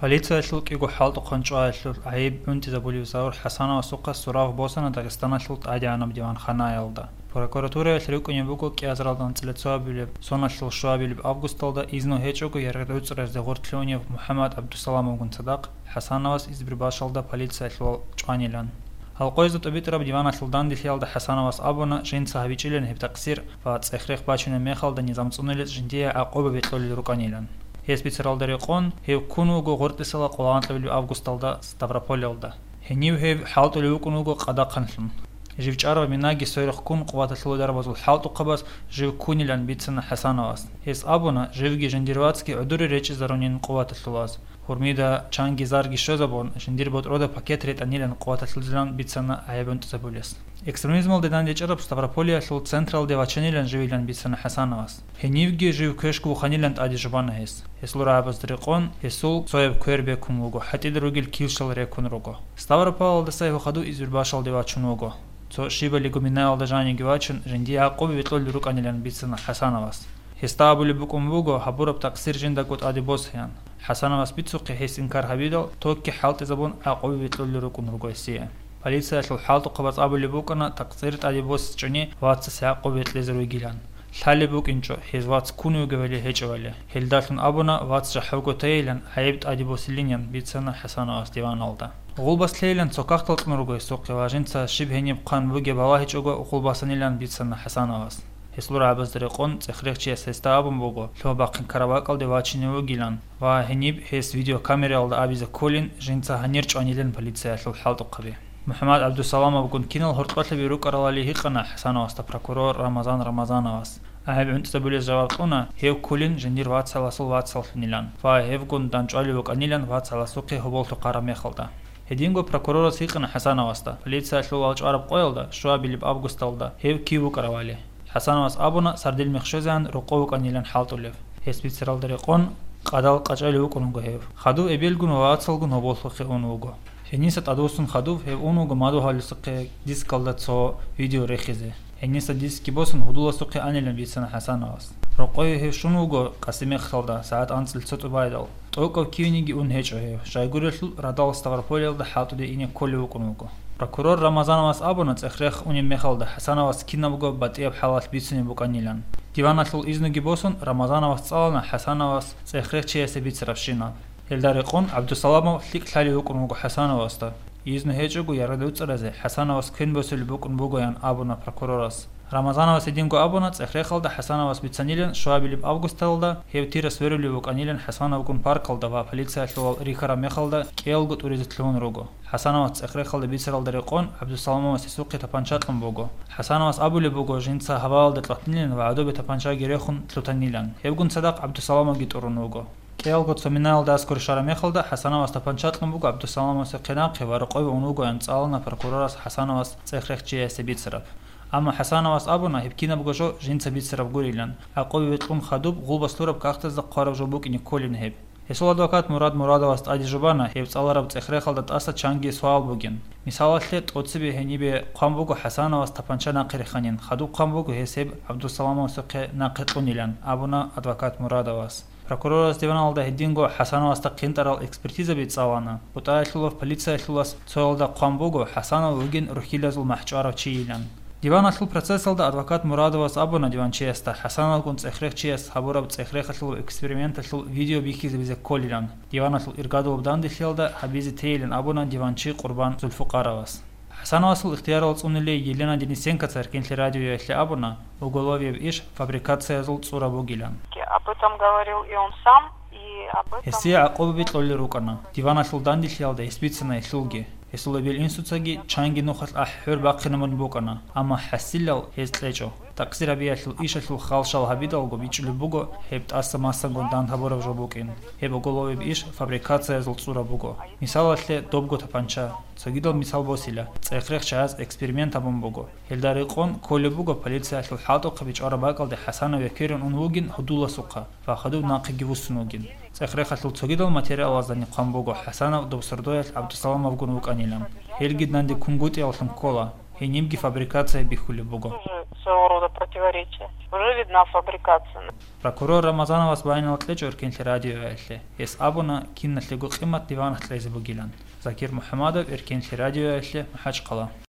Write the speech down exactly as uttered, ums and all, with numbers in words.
Полициялъул кӀиго хӀалтӀухъан чӀваялъул гӀайиб гӀунтӀизабулев Заур ХӀасановасухъа сурав босана Дагъистаналъул тӀадегӀанаб диванханаялда. Прокуратураялъ рукӀунеб буго кӀиазаралда анцӀила цоабилеб соналъул щуабилеб августалда изну гьечӀого яргъи гӀуцӀразе гъоркьлъунев МухӀаммад ГӀабдусаламовгун цадахъ ХӀасановас Избербашалда полициялъул чӀванилан. Гьалкъоязда тӀубитӀараб диваналъул данделъиялда ХӀасановас абуна, жинца гьабичӀилан гьеб такъсир ва цӀех-рех бачунеб мехалда низам цӀунулел жиндие гӀакъуба бикьулел рукӀанилан. Гьес бицаралда рекъон, гьев ккун вуго гъоркьисала къоло анкьабилеб августалда Ставрополялда. Гьенив гьев хӀалтӀулев вукӀун вуго къадахъанлъун. Жив чӀарав минаги сверухъ ккун къуваталъула дарбазул хӀалтӀухъабаз жив ккунилан бицана ХӀасановас. Гьес абуна, живги жиндир вацги гӀодоре речӀчӀизарунин къуваталъулаз. Гьурмида чанги зарги щвезабун, жиндир ботӀрода пакет ретӀанилан къуваталъулзилан бицана гӀайиб гӀунтӀизабулес. Экстремизмалде дандечӀараб Ставрополиялъул централде вачанилан живилан бицана ХӀасановас. Гьенивги жив квешгу вуханилан тӀаде жубана гьес. Гьесул рагӀабазда рекъон, гьесул цояб квер бекун вуго, гьатӀида ругел килщал рекун руго. Ставрополалдаса гьев хадув Избербашалде вачун вуго. Цо щибали гуминаялда жаниги вачун, жиндие гӀакъуба бикьулел рукӀанилан бицана ХӀасановас. Гьесда абулеб букӀун буго, гьабураб такъсир жиндаго тӀаде босеян. ХӀасановас бицухъе гьес инкар гьабидал, токги хӀалтӀизабун гӀакъуба бикьулел рукӀун руго гьесие. Полициялъул хӀалтӀухъабаз абулеб букӀана такъсир тӀаде босичӀони вацасе гӀакъуба бикьизе ругилан. Лъалеб букӀинчӀо, гьез вац ккун вугевали гьечӀевали. Гьелдалъун абуна, вац жахӀалго тайилан гӀайиб тӀаде босилинин бицана ХӀасановас диваналда. Гъулбас лъейилан цо кагътал кьун руго гьесухъе ва жинца щиб гьениб хъван бугеб балагьичӀого гъулбасанилан бицана ХӀасановас. Гьесул рагӀабазда рекъон цӀех-рехчияс гьесда абун буго, лъугьа-бахъин ккараб бакӀалде вачине вугилан ва гьениб гьес видеокамераялда абизе кколин жинца гьанир чӀванилин полициялъул хӀалтӀухъаби. МухӀаммад ГӀабдусаламовгун кинал гьоркьолъаби рукӀаралали гьикъана ХӀасановасда прокурор Рамазан Рамазановас. ГӀайиб гӀунтӀизабулез жаваб кьуна, гьев кколин жиндир вацаласул вацаллъунилан ва гьевгун дандчӀвалев вукӀанилан вацаласухъе гьоболлъухъ гьараб мехалда. Гьединго прокурорас гьикъана ХӀасановасда, полициялъул вачӀараб къоялда, щуабилеб августалда, гьев кив вукӀаравали. ХӀасановас абуна, сардил мех щвезегӀан рокъов вукӀанилан хӀалтӀулев. Гьес бицаралда рекъон, къадал къачӀалев вукӀун вуго гьев. Хадув эбелгун ва вацалгун гьоболлъухъе ун вуго. Гьениса тӀадвуссун хадув гьев ун вуго мадугьаласухъе дискалда цо видео рехизе. Гьениса дискги босун гьудуласухъе анилан бицана ХӀасановас. Рокъове гьев щун вуго къасимехалда сагӀат анцӀил цо тӀубайдал. ТӀокӀав кивениги ун гьечӀо гьев, щайгурелъул радал Ставрополиялда хӀалтӀуде ине кколев вукӀун вуго. Прокурор Рамазановас абуна цӀех-рех унеб мехалда ХӀасановас кинабго батӀияб хӀалалъ бицунеб букӀанилан. Диваналъул изнуги босун, Рамазановас цӀалана ХӀасановас цӀех-рех чиясе бицарабщинаб. Гьелда рекъон ГӀабдусаламов лъикӀ лъалев вукӀун вуго ХӀасановасда. Изну гьечӀого яргъи гӀуцӀразе ХӀасановас квен босулеб букӀун бугоян абуна прокурорас. Рамазановас гьединго абуна, цӀех-рехалда ХӀасановас бицанилан щуабилеб августалда гьев тира сверулев вукӀанилан ХӀасановгун паркалда ва полициялъувал рихьараб мехалда кӀиялго тӀуризе лъугьун руго. ХӀасановас цӀех-рехалда бицаралда рекъон ГӀабдусаламовас гьесухъе тапанча кьун буго. ХӀасановас абулеб буго, жинца гьаваялда кьватнилин ва гӀодобе тапанчаги рехун лъутанилан. Гьевгун цадахъ ГӀабдусаламовги тӀурун вуго. КӀиялго цо минаялда аскӀор щвараб мехалда ХӀасановас тапанча кьун буго ГӀабдусаламовасухъе нахъе ва рокъове ун вугоян цӀалана прокурорас ХӀасановас цӀех-рех чиясе бицараб. Амма ХӀасановас абуна, гьеб кинабго жо жинца бицараб гурилан, гӀакъуба бикьун хадуб гъулбас лъураб кагътазда хъвараб жо букӀине кколин гьеб. Гьесул адвокат Мурад Мурадовас тӀаде жубана гьеб цӀалараб цӀех-рехалда тӀаса чанги суал бугин. Мисалалъе, тӀоцебе гьенибе хъван буго ХӀасановас тапанча нахъе реханин, хадуб хъван буго гьес гьеб ГӀабдусаламовасухъе нахъе кьунилан, абуна адвокат Мурадовас. Прокурорас диваналда гьединго ХӀасановасда хъинтӀарал экспертизаби цӀалана. БутӀаялъулав полициялъулас цоялда хъван буго, ХӀасанов вугин рухьилазул махӀчӀварав чийилан. Диваналъул процессалда адвокат Мурадовас абуна диванчиясда ХӀасановгун цӀех-рех чияс гьабураб цӀех-рехалъул эксперименталъул видео бихьизабизе кколилан. Диваналъул иргадулаб данделъиялда гьабизе тейилан абуна диванчи Къурбан Зулфукъаровас. ХӀасановасул ихтиярал цӀунулей Елена Денисенкоца Эркинлъи радиоялъе абуна, уголовияб иш фабрикациязул цӀура бугилан. Об этом говорил и он сам, и об этом... Гьесие гӀакъуба бикьулел рукӀана. Диваналъул данделъиялда гьес бицана гьелъулги. Гьесул эбел-инсуцаги чанги нухалъ ахӀи-хӀур бахъинабун букӀана, амма хӀасилал гьез кьечӀо. Такъсир гьабиялъул ишалъул халшал гьабидалго бичӀчӀулеб буго гьеб тӀаса масангун дандгьабураб жо букӀин. Гьеб уголовияб иш фабрикациязул цӀура буго. Мисалалъе, добго тапанча. Цогидал мисал босила, цӀех-рех чияс эксперимент гьабун буго. Гьелда рекъон кколеб буго полициялъул хӀалтӀухъаби чӀвараб бакӀалде ХӀасанов векерун ун вугин гьудуласухъа ва хадуб нахъеги вуссун вугин. ЦӀех-рехалъул цогидал материалаздани хъван буго ХӀасанов доб сордоялъ ГӀабдусаламовгун вукӀанилан. Гьелги данде кунгутӀиявлъун ккола, гьенибги фабрикация бихьулеб буго. Тоже своего рода противоречия. Уже видна фабрикация. Прокурор Рамазановас байинал кьечӀо Эркенлъи радиоялъе. Гьес абуна, киналъего къимат диванах кьезе бугилан. Закир МухӀамадов, Эркенлъи радиоялъе, МахӀачхъала.